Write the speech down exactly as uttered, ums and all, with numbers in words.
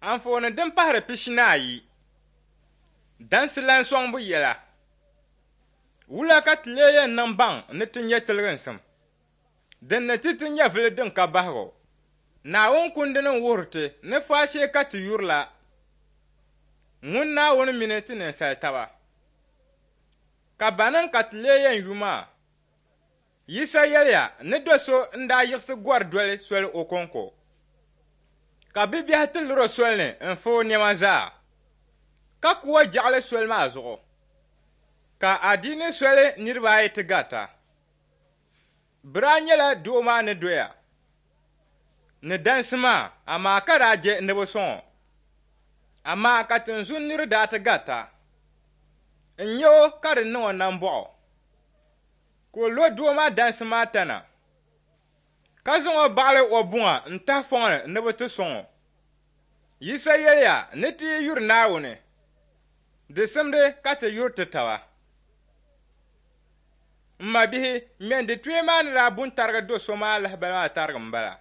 Anfooni din pahiri pishi ni ayi. Dansi lan sɔŋbu yɛla. Wula ka ti lee yɛn niŋ baŋ ni ti nya tiliginsim? Din ni ti ti nyɛvili din ka bahigu. Naawuni kundini n-wuhiri ti ni faashee ka ti yurila ŋun Naawuni mini ti ninsal taba. Ka banim ka ti lee yɛn yu maa? Yisa yɛliya ni do so n-daa yiɣisi gɔri doli soli o kɔŋko, ka bibiɛhi ti lir o soli ni n-fa o nɛma zaa, ka ku o jaɣili soli maa zuɣu, ka adiini soli niriba ayi ti garita. Bɛ daa nyɛla doo maa ni doya ni dansi maa, amaa ka daa je ni bɛ sɔŋ o. Amaa ka tinzun nir daa ti garita n-nya o ka di niŋ o nambɔɣu, ka o lo doo maa dansi maa tana, ka zaŋ o baɣili o buŋa n-tahi fɔŋ ni ni bɛ ti sɔŋ o. Yisa yɛliya ni ti yi yuri Naawuni, di simdi ka ti yuri ti taba. M mabihi, ŋmɛnditoya maa ni daa bu n-tarigi do so maa lahibali maa tarigi m-bala.